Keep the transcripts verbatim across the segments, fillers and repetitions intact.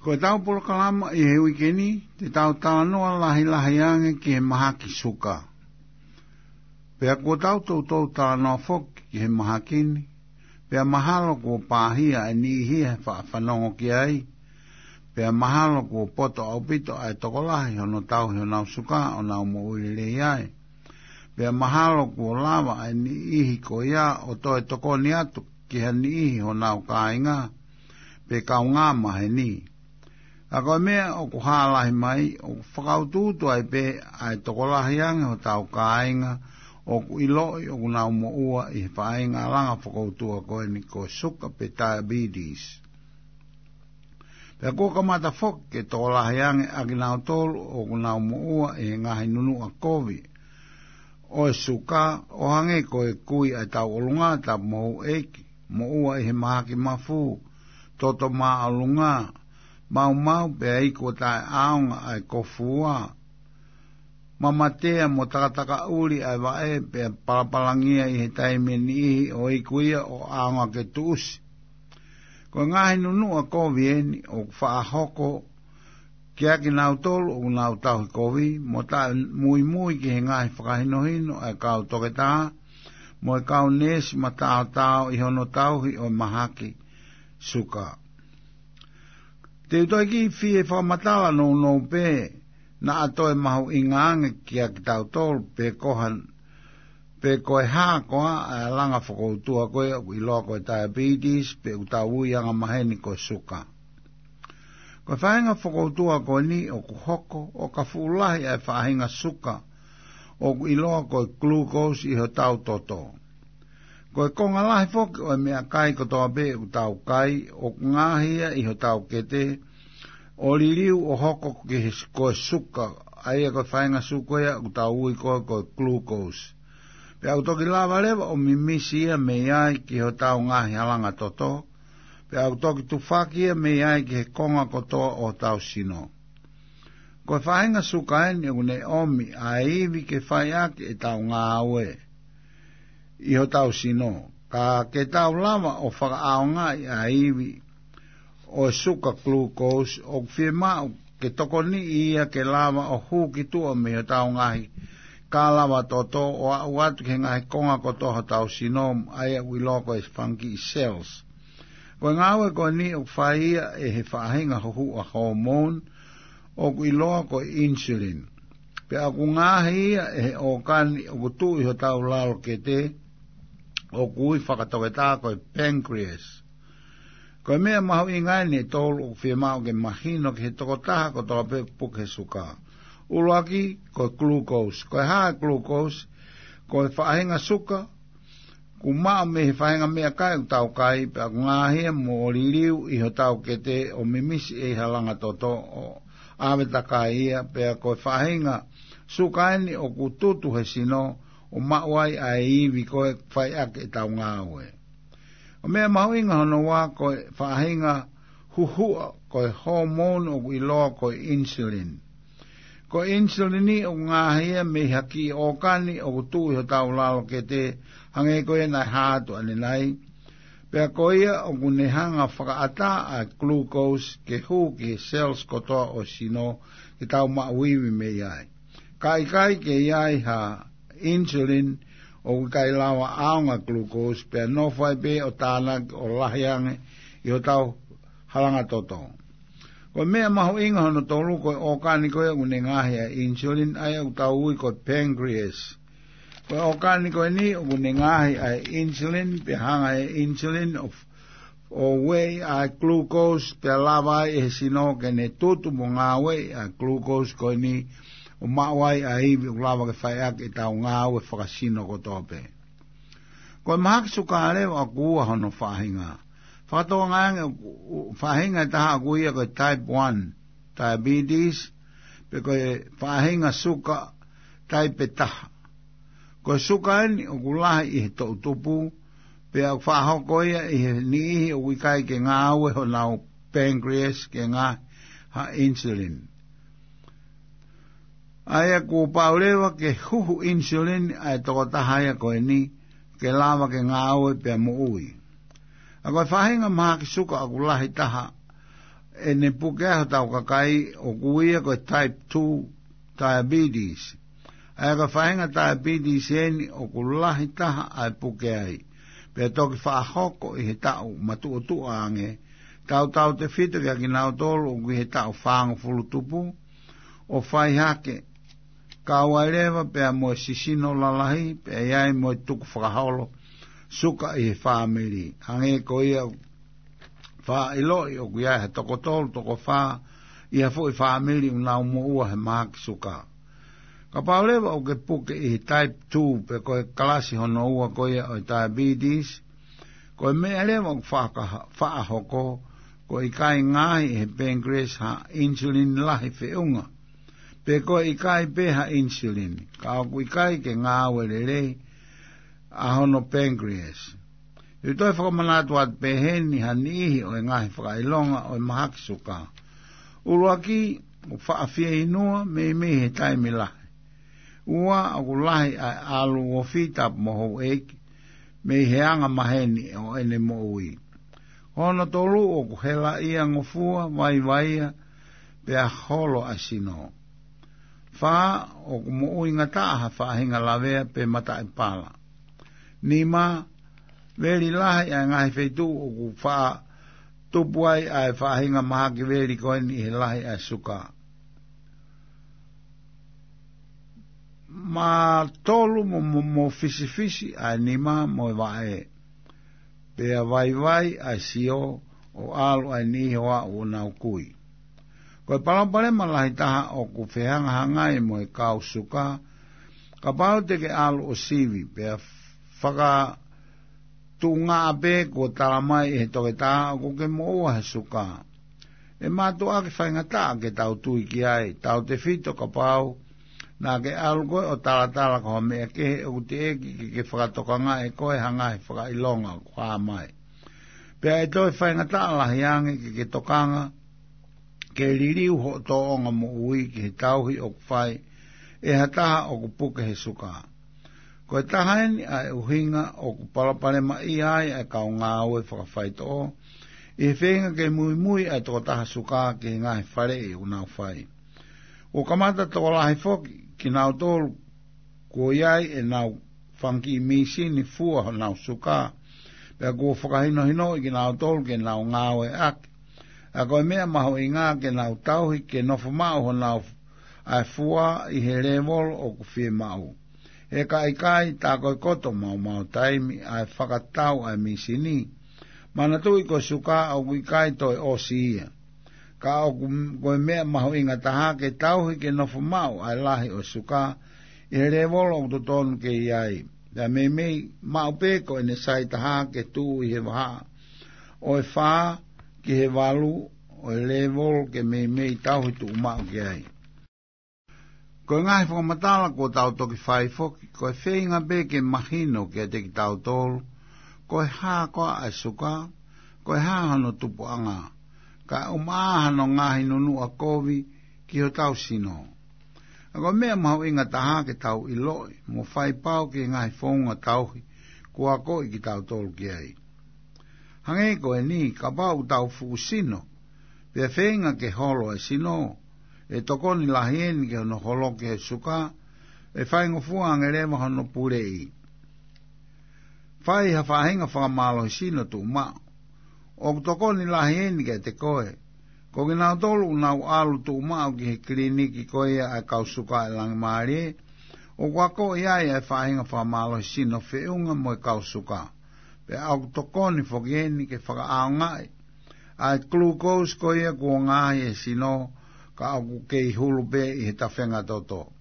Ko ʻetau polokalama ʻi he uike ni, te tau talanoa lahilahi ange ki he mahaki suka. Pea kuo tau toutou talanoa foki ki he mahaki ni, pea mahalo kuo pāhia ʻa e niʻihi he faʻa fanongo ki ai, pea mahalo kuo poto ʻaupito ʻa e tokolahi hono tauhi honau suka ʻo nau moʻui lelei ai. Pea mahalo kuo lava ʻa e niʻihi ko ia ʻo toe tokoni atu ki ha niʻihi honau kāinga, pe kaungā maheni. Ka ko e meʻa ʻoku hā lahi mai, ʻoku fakautuutu ai pē ʻa e tokolahi ange hotau kāinga ʻoku ʻiloʻi ʻoku nau moʻua ʻi he faʻahinga langa fokoutua ko eni ko e suka pe diabetes. Pea kuo kamata foki ke tokolahi ange ʻa kinautolu ʻoku nau moʻua ʻi he ngaahi nunuʻa kovi ʻo e suka, ʻo hangē ko e kui ʻa e tauʻolunga, tapu mo houʻeiki, moʻua ʻi he mahaki mafu, toto māʻolunga, maumau pea iku ʻo taʻeʻaonga ʻa e kofua, mamatea mo takatakaʻuli ʻa e vaʻe pea palapalangia ʻi he taimi ʻe niʻihi ʻo iku ia ʻo ʻaonga ke tuʻusi. Ko e ngaahi nunuʻa kovi eni ʻoku faʻa hoko kiate kinautolu ʻoku nau tauhi kovi, mo taʻemuimui ki he ngaahi fakahinohino ʻa e kau toketā mo e kau neesi mataotao ʻi hono tauhi ʻo e mahaki suka. Te u toe kiʻi fie fakamatala nounou pē, naʻa toe mahuʻinga ange kiate kitautolu pe ko ha, pe ko e hā koā ʻa e langa fokoutua ko ē ʻoku ʻiloa ko e diabetes, pe ʻoku tau ui angamaheni ko e suka. Ko e faʻahinga fokoutua ko eni ʻoku hoko ʻo ka fuʻu lahi ʻa e faʻahinga suka ʻoku ʻiloa ko e glucose ʻi hotau toto. Ko e konga lahi foki ʻo e meʻakai kotoa pē ʻoku tau kai, ʻoku ngaahi ia ʻi hotau kete, ʻo liliu ʻo hoko ki he s-, ko e suka, ʻa ia ko e faʻahinga suka ia ʻoku tau ui ko ē ko e glucose. Pea ʻoku toki lava leva ʻo mimisi ia mei ai ki hotau ngaahi halanga toto, pea ʻoku toki tufaki ia mei ai ki he konga kotoa ʻo hotau sino. Ko e faʻahinga suka eni ʻoku ne ʻomi ʻa e ivi ke fai ʻaki ʻetau ngāue ʻi hotau sino. Ka ke tau lava ʻo fakaʻaongaʻi ʻa e ivi ʻo e suka glucose, ʻoku fiemaʻu ke tokoniʻi ia ke lava ʻo hū ki tuʻa mei hotau ngaahi kalava toto ʻo aʻu atu ki he ngaahi konga kotoa hotau sino, ʻa ia ʻoku ʻiloa ko e fanga kiʻi cells. Ko e ngāue ko eni ʻoku fai ia ʻe he faʻahinga huhuʻa hormone ʻoku ʻiloa ko e insulin. Pea ʻoku ngaahi ia ʻe he ʻōkani ʻoku tuʻu ʻi hotau lalo kete, ʻoku ui fakatoketā ko e pancreas. Ko e meʻa mahuʻinga eni ʻe tolu ʻoku fiemaʻu ke mahino ki he tokotaha kotoa pē ʻoku puke he suka. ʻUluaki, ko e glucose. Ko e hā e glucose? Ko e faʻahinga suka ʻoku maʻu mei he faʻahinga meʻakai ʻoku tau kai, pea ʻoku ngaahi ia mo liliu ʻi hotau kete ʻo mimisi ʻe he halanga toto ʻo ʻave takai ia, pea ko e faʻahinga suka eni ʻoku tutu he sino ʻo maʻu ai ʻa e ivi ko ē fai ʻaki ʻetau ngāue. Ko e meʻa mahuʻinga hono ua, ko e faʻahinga huhuʻa, ko e hormone ʻoku ʻiloa ko e insulin. Ko e insulini ʻoku ngaahi ia mei ha kiʻi ʻōkani ʻoku tuʻu ʻi hotau lalo kete, hangē ko ia naʻe hā atu ʻanenai. Pea ko ia ʻoku ne hanga fakaʻatā ʻa e glucose ke hū ki he cells kotoa ʻo e sino ke tau maʻu ivi mei ai. Ka ʻikai ke ʻi ai ha insulin, ʻoku ʻikai lava ʻaonga glucose, pea nofo ai pē ʻo tānaki ʻo lahi ange ʻi hotau halanga toto. Ko e meʻa mahuʻinga hono tolu, ko e ʻōkani ko ē ʻoku ne ngaahi ʻa e insulin, ʻa ia ʻoku tau ui ko e pancreas. Ko e ʻōkani ko eni ʻoku ne ngaahi ʻa e insulin, pea hanga ʻe he insulin ʻo, ʻo ueʻi ʻa e glucose, pea lava ai ʻe he sino ke ne tutu mo ngāueʻi ʻa e glucose ko eni, ʻo maʻu ai ʻa e ivi ʻoku lava ke fai ʻaki ʻetau ngāue fakasino kotoa pē. Ko e mahaki suka leva ʻoku ua hono faʻahinga. Fakatokangaʻi ange ʻoku, ʻoku faʻahinga ʻe taha ʻoku ui ia ko e type one diabetes, pe ko e faʻahinga suka taipe taha. Ko e suka eni ʻoku lahi ʻi he toʻutupu, pea ʻoku faʻa hoko ia ʻi he niʻihi ʻoku ʻikai ke ngāue honau pancreas ke ngaahi ha insulin. ʻA ia kuo pau leva ke huhu insulin ʻa e tokotaha ia ko eni, ke lava ke ngāue pea moʻui. ʻA ko e faʻahinga mahaki suka ʻoku lahi taha ʻene puke ai hotau kakai ʻoku ui ia ko e type two diabetes. ʻA ia ko e faʻahinga diabetes eni ʻoku lahi taha ʻa e puke ai. Pea toki faʻa hoko ʻi he taʻu matuʻotuʻa ange, tautautefito kia kinautolu ʻoku ʻi he taʻu fāngofulu tupu, ʻo fai hake, kau ai leva pea mo e sisino lalahi, pea ʻi ai mo e tukufakaholo suka ʻi he fāmili. Hangē ko ia faʻa ʻiloʻi ʻoku ʻi ai ha toko tolu, toko fā ʻi ha foʻi fāmili ʻoku nau moʻua he mahaki suka. Kapau leva ʻoku ke puke ʻi he type two pe ko e kalasi hono ua ko ia ʻo e diabetes, ko e meʻa leva ʻoku faʻa-, faʻa hoko, ko e ʻikai ngaahi ʻe he pancreas ha insulin lahi feʻunga, pe ko e ʻikai pē ha insulin, ka ʻoku ʻikai ke ngāue lelei ʻa hono pancreas. ʻOku toe fakamanatu atu pē heni ha niʻihi ʻo e ngaahi fakaʻilonga ʻo e mahaki suka. ʻUluaki, ʻoku faʻa fieinua meimei he taimi lahi. Ua, ʻoku lahi ʻa e ʻalu ofi tapu mo houʻeiki mei he anga maheni ʻo ʻene moʻui. Hono tolu, ʻoku helaʻia ngofua, vaivaia, pea holo ʻa e sino. Fā, ʻoku moʻuingataʻa ha faʻahinga lavea pe mataʻipala. Nima, veli lahi ʻa e ngaahi feituʻu ʻoku faʻa tupu ai ʻa e faʻahinga mahaki veli ko eni ʻi he lahi ʻa e suka. Mā tolu mo, mo, mo fisifisi ʻa e nima mo e vaʻe. Pea vaivai ʻa e sio ʻo ʻalu ʻa e niʻihi ʻo aʻu ʻo nau kui. Ko e palopalema lahi taha ʻoku fehangahangai mo e kau suka, kapau te ke ʻalu ʻo sivi, pea fakatuʻungaʻa pē kuo tala mai ʻe he toketā ʻoku ke moʻua he suka. ʻE mātuʻaki faingataʻa ke tau tui ki ai, tautefito kapau naʻa ke ʻalu koe ʻo talatala ki ha meʻa kehe ʻoku teʻeki ke ke fakatokangaʻi ʻe koe ha ngaahi fakaʻilonga ʻoku hā mai. Pea ʻe toe faingataʻa lahi ange ke ke tokanga ke liliu hoʻo tōʻonga moʻui ki he tauhi ʻoku fai ʻe ha taha ʻoku puke he suka. Ko e taha eni ʻa e ʻuhinga ʻoku palopalemaʻia ai ʻa e kau ngāue fakafaitoʻo, ʻi he feinga ke muimui ʻa e tokotaha suka ki he ngaahi faleʻi ʻoku nau fai. ʻOku kamata tokolahi foki kinautolu kuo ʻi ai ʻenau fanga kiʻi mīsini fua honau suka, pea kuo fakahinohinoʻi kinautolu ke nau ngāueʻaki. ʻA ia ko e meʻa mahuʻinga ke nau tauhi ke nofo maʻu honau ʻa e fua ʻi he lēvolo ʻoku fiemaʻu. He ka ʻikai, tā ko e koto maumau taimi ʻa e fakatau ʻa e mīsini. Manatuʻi ko e suka ʻoku ʻikai toe ʻosi ia. Ka ʻoku, ko e meʻa mahuʻinga taha ke tauhi ke nofo maʻu ʻa e lahi ʻo e suka ʻi he lēvolo ʻoku totonu ke ʻi ai. Pea meimei maʻu pē ko ʻene sai taha ke tuʻu ʻi he vahaʻa ʻo e fā ki he valu ʻo e lēvolo ke meimei tauhi tuʻu maʻu ki ai. Ko e ngaahi fakamatala kuo tau toki fai foki, ko e feinga pē ke mahino kiate kitautolu ko e hā koā ʻa e suka, ko e hā hono tupuʻanga, kae ʻumaʻā hano ngaahi nunuʻa kovi ki hotau sino. ʻA ia ko e meʻa mahuʻinga taha ke tau ʻiloʻi mo fai pau ki he ngaahi founga tauhi kuo akoʻi kitautolu ki ai. Hangē ko eni, kapau ʻoku tau fuʻu sino, pea feinga ke holo e sino, ʻe tokoni lahi eni ki hono holoki he suka, ʻe faingofua ange leva hono puleʻi. Fai ha faʻahinga fakamālohisino tuʻumaʻu. ʻOku tokoni lahi eni kiate koe. Ko kinautolu ʻoku nau ʻalu tuʻumaʻu ki he kiliniki ko ia ʻa e kau suka ʻi Langimālie, ʻoku akoʻi ai ʻa e faʻahinga fakamālohisino feʻunga mo e kau suka. Pea ʻoku tokoni foki eni ke fakaʻaongaʻi ʻa e glucose ko ia kuo ngaahi he sino, ka ʻoku kei hulu pē ʻi he tafenga toto.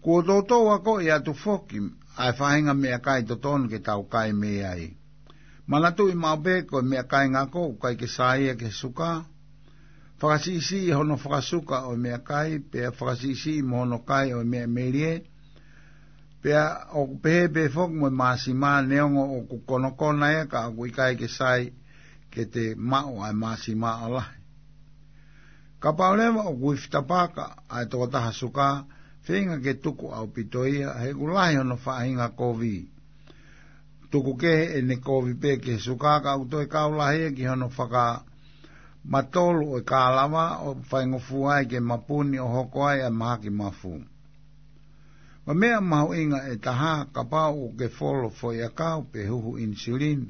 Kuo toutou akoʻi atu foki ʻa e faʻahinga meʻakai totonu ke tau kai mei ai. Manatuʻi maʻu pē ko e meʻakai ngako ʻoku ʻikai ke sai ia ki he suka. Fakasiʻisiʻi hono fakasuka ʻo e meʻakai, pea fakasiʻisiʻi mo hono kai ʻo e meʻa melie. Pea ʻoku pehē pē foki mo e māsima, neongo ʻoku konokona ia ka ʻoku ʻikai ke sai ke te maʻu ʻa e māsima ʻo lahi. Kapau leva ʻoku ifi tapaka ʻa e tokotaha suka, feinga ke tuku ʻaupito ia, he ʻoku lahi hono faʻahinga kovi. Tuku kehe ʻene kovi pē ki he suka ka ʻoku toe kau lahi ia ki hono faka matolu ʻo e kālava ʻo faingofua ai ke mapuni ʻo hoko ai ʻa e mahaki mafu. Ko e meʻa mahuʻinga ʻe taha, kapau ʻoku ke folo foʻiʻakau pe huhu ʻinisulini,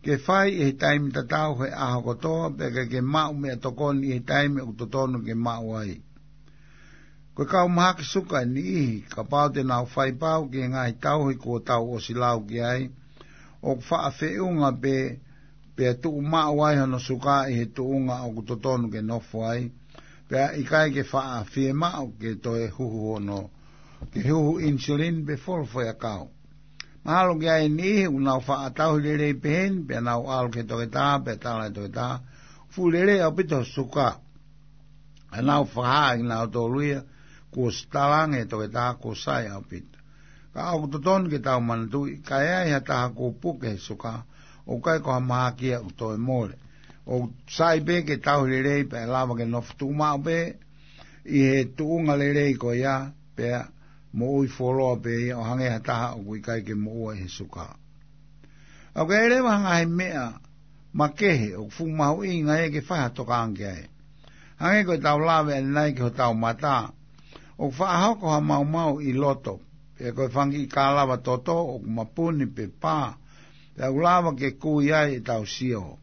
ke fai ʻi he taimi tatau he ʻaho kotoa, pea ke, ke maʻu meʻatokoni ʻi he taimi ʻoku totonu ke maʻu ai. Ko e kau mahaki suka ʻe niʻihi, kapau te nau faipau ki he ngaahi tauhi kuo tau ʻosi lau ki ai, ʻoku faʻa feʻunga pē, pea tuʻumaʻu ai hono suka ʻi he tuʻunga ʻoku totonu ke nofo ai, pea ʻikai ke faʻa fiemaʻu ke toe huhu hono, ke huhu ʻinisulini pe folo foʻiʻakau. Mahalo ki ai e niʻihi ʻoku nau faʻa tauhi lelei pehē ni, pea nau ʻalu ki he toketā, pea tala ʻe he toketā, fuʻu lelei ʻaupito ho suka. ʻA nau fakahā ʻe kinautolu ia, kuo ʻosi talaange ʻe he toketā kuo sai ʻaupito. Ka ʻoku totonu ke tau manatuʻi, ka ʻi ai ha taha kuo puke he suka, ʻoku ʻikai ko ha mahaki ia ʻoku toe mole. ʻOku sai pē ke tauhi lelei pea ʻe lava ke nofo tuʻumaʻu pē ʻi he tuʻunga lelei ko ia, pea moʻui fuoloa pē ia ʻo hangē ha taha ʻoku ʻikai ke moʻua ʻi he suka. ʻOku ʻi ai leva ha ngaahi meʻa makehe ʻoku fuʻu mahuʻinga ia ke fai ha tokanga ki ai. Hangē ko ʻetau lave ʻanenai ki hotau mata, ʻoku faʻa hoko ha maumau ʻi loto, pea ko e fanga kiʻi kālava toto ʻoku mapuni pe pā, pea ʻoku lava ke kui ai ʻetau sio.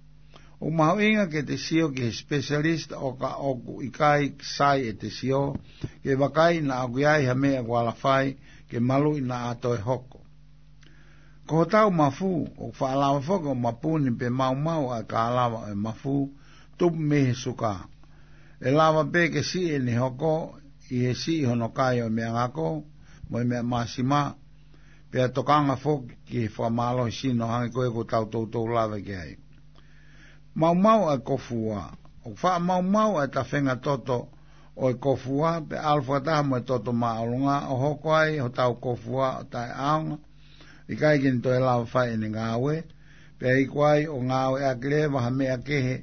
ʻOku mahuʻinga ke te sio ki he specialist ʻo ka ʻoku ʻikai sai ʻete sio, ke vakai naʻa ʻoku ʻi ai ha meʻa ʻoku ala fai ke maluʻi naʻa toe hoko. Ko hotau mafu, ʻoku faʻa lava foki ʻo mapuni pe maumau ʻa e kālava ʻo e mafu, tupu mei he suka. ʻE lava pē ke siʻi ʻene hoko ʻi he siʻi hono kai ʻo e meʻangako mo e meʻa māsima, pea tokanga foki ki he fakamālohisino hangē ko ia ʻoku tau toutou lave ki ai. Maumau ʻa e kofua. ʻOku faʻa maumau ʻa e tafenga toto ʻo e kofua, pea ʻalu fakataha mo e toto māʻolunga ʻo hoko ai hotau kofua ʻo taʻeʻaonga, ʻikai ke ne toe lava fai ʻene ngāue, pea iku ai ʻo ngāueʻaki leva ha meʻa kehe,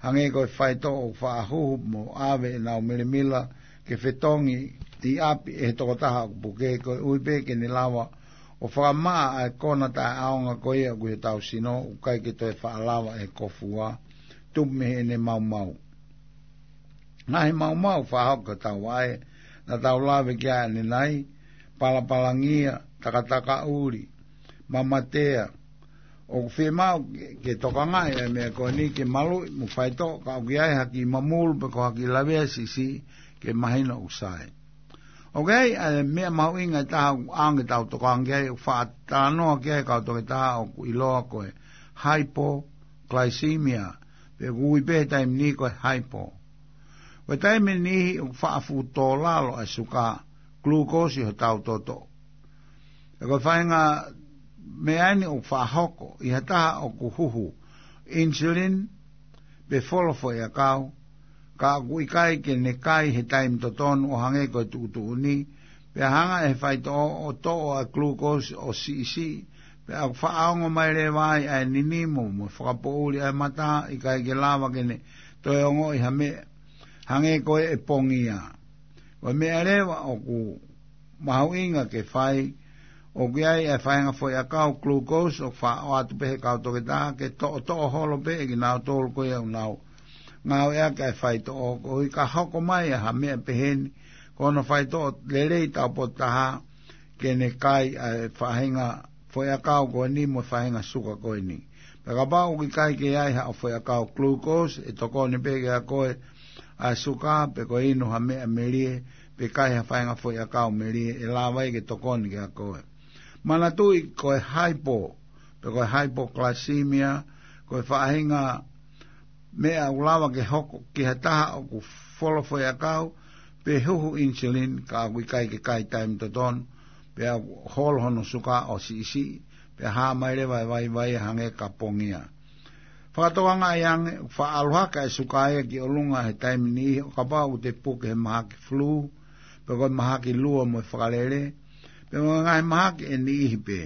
hangē ko e faitoʻo ʻoku faʻa huhu mo ʻave ʻenau milimila ke fetongi ʻi ʻapi ʻe he tokotaha ʻoku puke, koeʻuhi pē ke ne lava ʻo fakamaʻa ʻa e kona taʻeʻaonga ko ia ʻoku ʻi hotau sino, ʻoku ʻikai ke toe faʻa lava ʻe he kofua, tupu mei heʻene maumau. Ngaahi maumau faʻa hoko ki hotau vaʻe, naʻa tau lave ki ai ʻanenai, palapalangia, takatakaʻuli, mamatea. ʻOku fiemaʻu ke, ke tokangaʻi ʻa e meʻa ko eni ke maluʻi mo faitoʻo, ka ʻoku ʻi ai ha kiʻi mamulu pe ko ha kiʻi lavea siʻisiʻi ke mahino ʻoku sai. ʻOku ʻi ai ʻa e meʻa mahuʻinga ʻe taha ʻoku ʻaonga ke tau tokanga ki ai, ʻoku faʻa talanoa ki ai e kau toketā ʻoku ʻiloa ko e hypoglycemia, pe ʻoku ui pē he taimi ni ko e hypo. Ko e taimi ni ʻoku faʻa fuʻu tō lalo ʻa e suka, glucose ʻi hotau toto. Pea ko e faʻahinga meʻa ni ʻoku faʻa hoko ʻi ha taha ʻoku huhu insulin pe folo foʻiʻakau, ka ʻoku ʻikai ke ne kai he taimi totonu ʻo hangē ko e tuʻutuʻuni, pea hanga ʻe he faitoʻo ʻo toʻo ʻa e glucose ʻo siʻisiʻi, pea ʻoku faʻa ongo mai leva ai ʻa e ninimo mo e fakapoʻuli ʻa e mata, ʻikai ke lava ke ne toe ongoʻi ha meʻa, hangē ko e pongia. Ko e meʻa leva ʻoku mahuʻinga ke fai, ʻoku ʻi ai e faʻahinga foʻiʻakau glucose ʻoku faʻa ʻoatu pē ʻe he kau toketā ke toʻotoʻo holo pē ʻe kinautolu ko ia ʻoku nau ngāueʻaki ʻa e faitoʻo, koeʻuhi ka hoko mai ʻa ha meʻa pehē ni, ko hono faitoʻo lelei taupotu taha ke ne kai ʻa e faʻahinga foʻiʻakau ko eni mo e faʻahinga suka ko eni. Pea kapau ʻoku ʻikai ke ʻi ai haʻo foʻiʻakau glucose, ʻe tokoni pē kiate koe ʻa e suka, pe ko e inu ha meʻa melie, pe kai ha faʻahinga foʻiʻakau melie, ʻe lava ia ke tokoni kiate koe. Manatuʻi ko e hypo, pe ko e hypoglycemia, ko e faʻahinga meʻa ʻoku lava ke hoko ki ha taha ʻoku folo foʻiʻakau, pe huhu insulin, ka ʻoku ʻikai ke kai taimi totonu, pea ʻoku holo hono suka ʻo siʻisiʻi, pea hā mai leva e vaivai hangē ka pongia. Fakatokangaʻi ange, ʻoku faʻa ʻalu hake ʻa e suka ia ki ʻolunga he taimi ni ʻo kapau ʻoku te puke he mahaki flu, pe ko e mahaki lua mo e fakalele, pe ko e ngaahi mahaki ʻe niʻihi pē.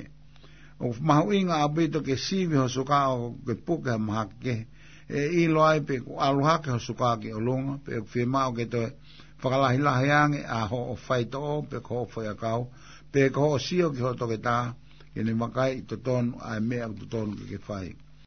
ʻOku mahuʻinga ʻaupito ke sivi ho suka ʻo ke puke ha mahaki kehe, ʻe ʻilo ai pe ʻoku ʻalu hake ho suka ki ʻolunga, pe ʻoku fiemaʻu ke toe fakalahilahi ange ʻa hoʻo faitoʻo, pe ko hoʻo foʻiʻakau, pe ko hoʻo sio ki hoʻo toketā, ke ne vakai ʻi totonu ʻa e meʻa ʻoku totonu ke ke fai.